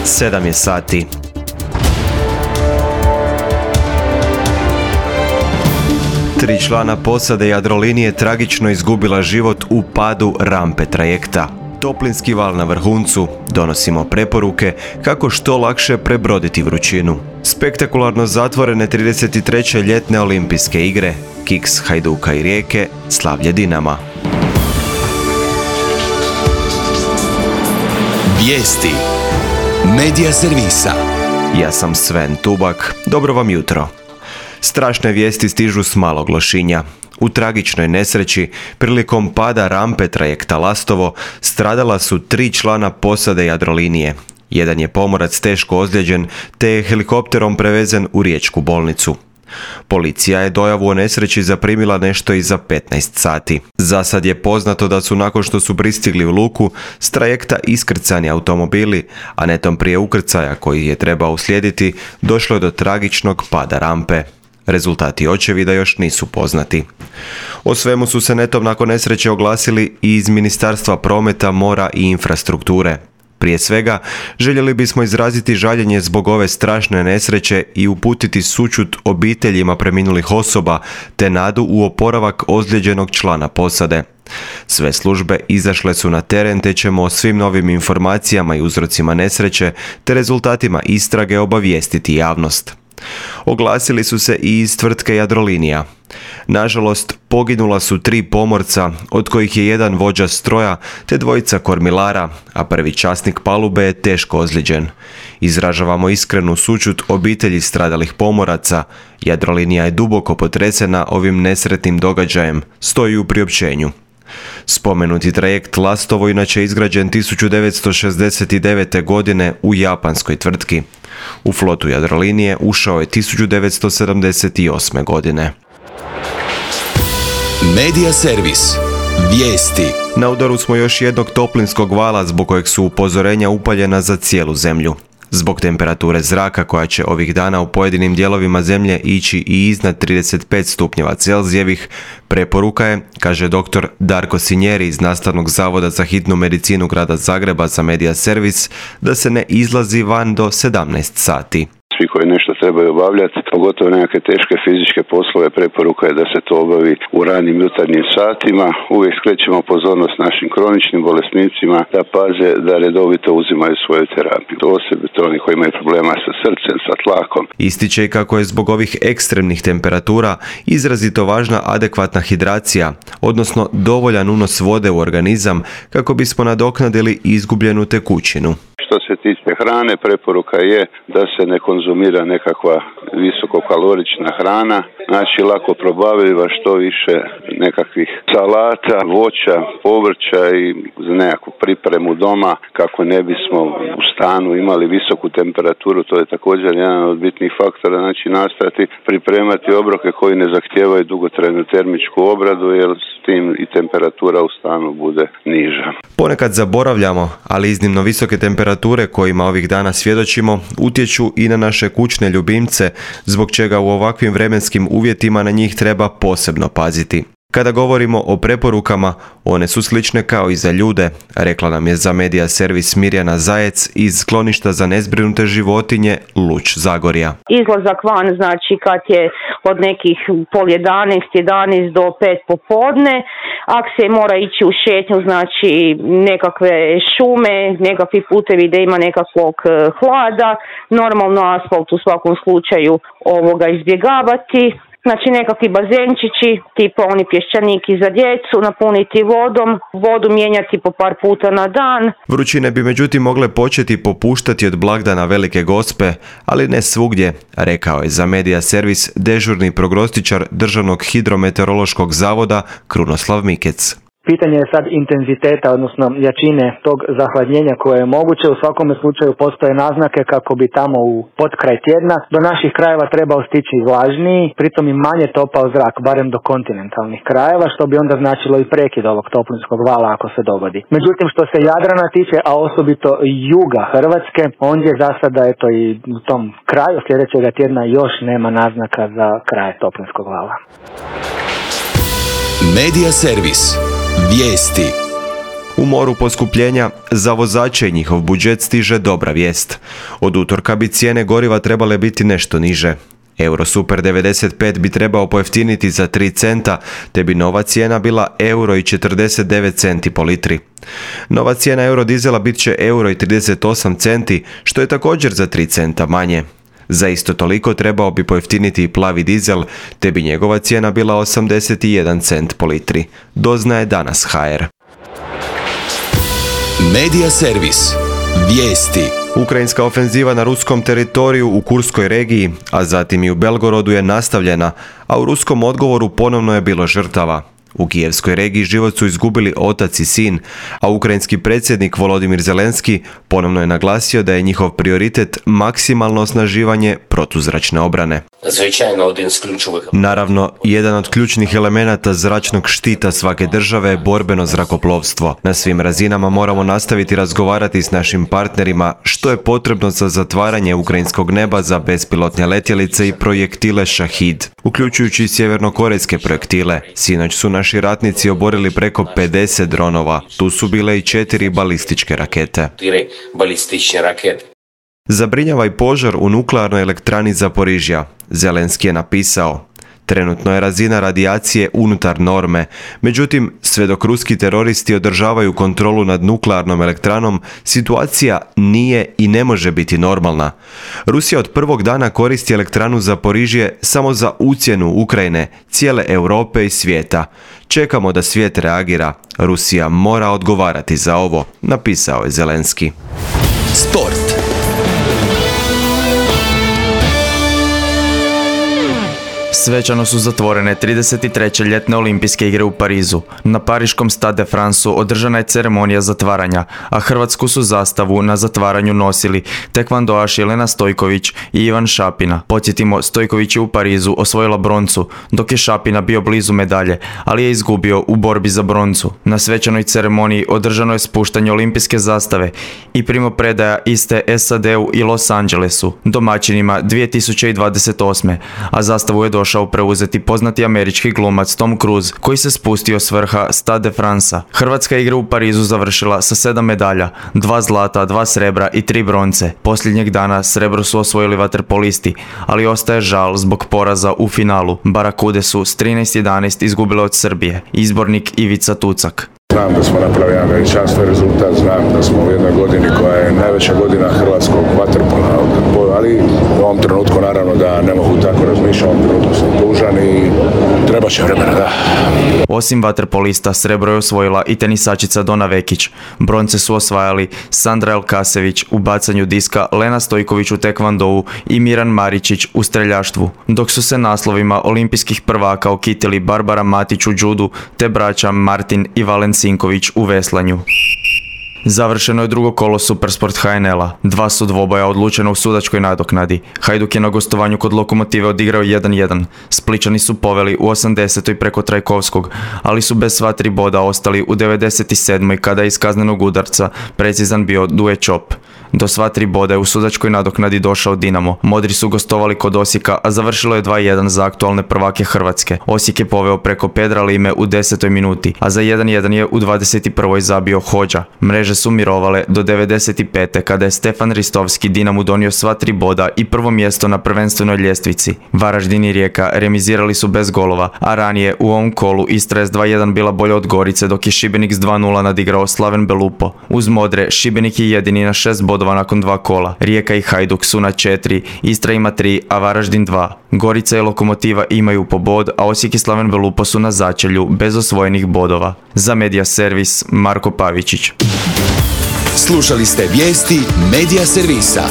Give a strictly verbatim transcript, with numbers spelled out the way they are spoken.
Sedam je sati. Tri člana posade Jadrolinije tragično izgubila život u padu rampe trajekta. Toplinski val na vrhuncu, donosimo preporuke kako što lakše prebroditi vrućinu. Spektakularno zatvorene trideset treće ljetne olimpijske igre, kiks Hajduka i Rijeke, slavlje Dinama. Vijesti Medija servisa. Ja sam Sven Tubak, dobro vam jutro. Strašne vijesti stižu s Malog Lošinja. U tragičnoj nesreći, prilikom pada rampe trajekta Lastovo, stradala su tri člana posade Jadrolinije. Jedan je pomorac teško ozlijeđen, te je helikopterom prevezen u riječku bolnicu. Policija je dojavu o nesreći zaprimila nešto iza petnaest sati. Za sad je poznato da su nakon što su pristigli u luku s trajekta iskrcani automobili, a netom prije ukrcaja koji je trebao uslijediti, došlo je do tragičnog pada rampe. Rezultati očevida još nisu poznati. O svemu su se netom nakon nesreće oglasili i iz Ministarstva prometa, mora i infrastrukture. Prije svega, željeli bismo izraziti žaljenje zbog ove strašne nesreće i uputiti sućut obiteljima preminulih osoba te nadu u oporavak ozlijeđenog člana posade. Sve službe izašle su na teren te ćemo o svim novim informacijama i uzrocima nesreće te rezultatima istrage obavijestiti javnost. Oglasili su se i iz tvrtke Jadrolinija. Nažalost, poginula su tri pomorca, od kojih je jedan vođa stroja te dvojica kormilara, a prvi časnik palube je teško ozlijeđen. Izražavamo iskrenu sućut obitelji stradalih pomoraca. Jadrolinija je duboko potresena ovim nesretnim događajem, stoji u priopćenju. Spomenuti trajekt Lastovo inače izgrađen tisuću devetsto šezdeset devete. godine u japanskoj tvrtki. U flotu Jadrolinije ušao je tisuću devetsto sedamdeset osme. godine. Medija servis. Vijesti. Na udaru smo još jednog toplinskog vala zbog kojeg su upozorenja upaljena za cijelu zemlju. Zbog temperature zraka koja će ovih dana u pojedinim dijelovima zemlje ići i iznad trideset pet stupnjeva Celzijevih, preporuka je, kaže doktor Darko Sinjeri iz Nastavnog zavoda za hitnu medicinu grada Zagreba za Medija servis, da se ne izlazi van do sedamnaest sati. Svi koji nešto trebaju obavljati, pogotovo nekakve teške fizičke poslove, preporuka je da se to obavi u ranim jutarnjim satima. Uvijek skrećemo pozornost našim kroničnim bolesnicima da paze da redovito uzimaju svoju terapiju. Osobito oni koji imaju problema sa srcem, sa tlakom. Ističe i kako je zbog ovih ekstremnih temperatura izrazito važna adekvatna hidracija, odnosno dovoljan unos vode u organizam kako bismo nadoknadili izgubljenu tekućinu. Što se tiče hrane, preporuka je da se ne konzumira nekakva visokokalorična hrana, znači lako probavljiva, što više nekakvih salata, voća, povrća i za nekakvu pripremu doma kako ne bismo u stanu imali visoku temperaturu. To je također jedan od bitnih faktora, znači nastojati pripremati obroke koji ne zahtijevaju dugotrajnu termičku obradu jer s tim i temperatura u stanu bude niža. Ponekad zaboravljamo, ali iznimno visoke temperature kojima ovih dana svjedočimo utječu i na naše kućne ljubimce, zbog čega u ovakvim vremenskim uvjetima na njih treba posebno paziti. Kada govorimo o preporukama, one su slične kao i za ljude, rekla nam je za Medija servis Mirjana Zajec iz skloništa za nezbrinute životinje Luč Zagorja. Izlazak van znači kad je od nekih pol jedanaest, jedanaest do pet popodne, ako se mora ići u šetnju, znači nekakve šume, nekakvi putevi da ima nekakvog hlada, normalno asfalt u svakom slučaju ovoga izbjegavati. Znači nekakvi bazenčići, tipa oni pješčaniki za djecu, napuniti vodom, vodu mijenjati po par puta na dan. Vrućine bi međutim mogle početi popuštati od blagdana Velike Gospe, ali ne svugdje, rekao je za Medija servis dežurni prognostičar Državnog hidrometeorološkog zavoda Krunoslav Mikec. Pitanje je sad intenziteta, odnosno jačine tog zahladnjenja koje je moguće. U svakome slučaju postoje naznake kako bi tamo u potkraj tjedna do naših krajeva trebao stići vlažniji, pritom i manje topao zrak, barem do kontinentalnih krajeva, što bi onda značilo i prekid ovog toplinskog vala ako se dogodi. Međutim, što se Jadrana tiče, a osobito juga Hrvatske, ondje za sada eto i u tom kraju sljedećega tjedna još nema naznaka za kraj toplinskog vala. Medija servis. Vijesti. U moru poskupljenja za vozače i njihov budžet stiže dobra vijest. Od utorka bi cijene goriva trebale biti nešto niže. Euro Super devedeset pet bi trebao pojeftiniti za tri centa, te bi nova cijena bila euro i četrdeset devet centi po litri. Nova cijena eurodizela bit će euro i trideset osam centi, što je također za tri centa manje. Za isto toliko trebao bi pojeftiniti i plavi dizel, te bi njegova cijena bila osamdeset jedan cent po litri. Doznaje danas ha er. Medija servis. Vijesti. Ukrajinska ofenziva na ruskom teritoriju u Kurskoj regiji, a zatim i u Belgorodu je nastavljena, a u ruskom odgovoru ponovno je bilo žrtava. U Kijevskoj regiji život su izgubili otac i sin, a ukrajinski predsjednik Volodimir Zelenski ponovno je naglasio da je njihov prioritet maksimalno osnaživanje protuzračne obrane. Naravno, jedan od ključnih elemenata zračnog štita svake države je borbeno zrakoplovstvo. Na svim razinama moramo nastaviti razgovarati s našim partnerima što je potrebno za zatvaranje ukrajinskog neba za bespilotne letjelice i projektile Šahid, uključujući i sjevernokorejske projektile. Sinoć su naši ratnici oborili preko pedeset dronova. Tu su bile i četiri balističke rakete. Zabrinjava i požar u nuklearnoj elektrani Zaporižja. Zelenski je napisao: trenutno je razina radijacije unutar norme, međutim, sve dok ruski teroristi održavaju kontrolu nad nuklearnom elektranom, situacija nije i ne može biti normalna. Rusija od prvog dana koristi elektranu Zaporižje samo za ucjenu Ukrajine, cijele Europe i svijeta. Čekamo da svijet reagira. Rusija mora odgovarati za ovo, napisao je Zelenski. Sport. Svečano su zatvorene trideset treće ljetne olimpijske igre u Parizu. Na pariškom Stade de Fransu održana je ceremonija zatvaranja, a hrvatsku su zastavu na zatvaranju nosili tekvandoaš Jelena Stojković i Ivan Šapina. Podsjetimo, Stojković je u Parizu osvojila broncu, dok je Šapina bio blizu medalje, ali je izgubio u borbi za broncu. Na svečanoj ceremoniji održano je spuštanje olimpijske zastave i primopredaja iste es a de u i Los Angelesu, domaćinima dvije tisuće dvadeset osme, a zastavu je došao preuzeti poznati američki glumac Tom Cruise, koji se spustio s vrha Stade de Fransa. Hrvatska igra u Parizu završila sa sedam medalja, dva zlata, dva srebra i tri bronce. Posljednjeg dana srebro su osvojili vaterpolisti, ali ostaje žal zbog poraza u finalu. Barakude su s trinaest jedanaest izgubile od Srbije. Izbornik Ivica Tucak. Znam da smo napravili jedan veličanstven rezultat, znam da smo u jednoj godini koja je najveća godina hrvatskog vaterpola, ali u ovom trenutku naravno da ne mogu tako razmišljati, u ovom trenutku sam tužan i treba će vremena, da. Osim vaterpolista, srebro je osvojila i tenisačica Dona Vekić. Bronce su osvajali Sandra Elkasević u bacanju diska, Lena Stojković u tekvandou i Miran Maričić u streljaštvu, dok su se naslovima olimpijskih prvaka okitili Barbara Matić u džudu te braća Martin i Valen Sinković u veslanju. Završeno je drugo kolo Supersport ha en el-a. Dva su dvoboja odlučena u sudačkoj nadoknadi. Hajduk je na gostovanju kod Lokomotive odigrao jedan jedan. Spličani su poveli u osamdesetoj preko Trajkovskog, ali su bez sva tri boda ostali u devedeset sedmoj kada je iz kaznenog udarca precizan bio Duje Čop. Do sva tri boda je u sudačkoj nadoknadi došao Dinamo. Modri su gostovali kod Osijeka, a završilo je dva jedan za aktualne prvake Hrvatske. Osijek je poveo preko Pedra Lime u desetoj minuti, a za jedan jedan je u dvadeset prvoj zabio Hođa. Mreže su mirovale do devedeset pete kada je Stefan Ristovski Dinamu donio sva tri boda i prvo mjesto na prvenstvenoj ljestvici. Varaždin i Rijeka remizirali su bez golova, a ranije u ovom kolu Istra je s dva jedan bila bolja od Gorice, dok je Šibenik s dva nula nadigrao Slaven Belupo. Uz Modre, Šibenik je jedini na šest bodova nakon dva kola. Rijeka i Hajduk su na četiri, Istra ima tri, a Varaždin dva. Gorica i Lokomotiva imaju po bod, a Osijek i Slaven Belupo su na začelju bez osvojenih bodova. Za Medija servis Marko Pavičić. Slušali ste vijesti Medija servisa.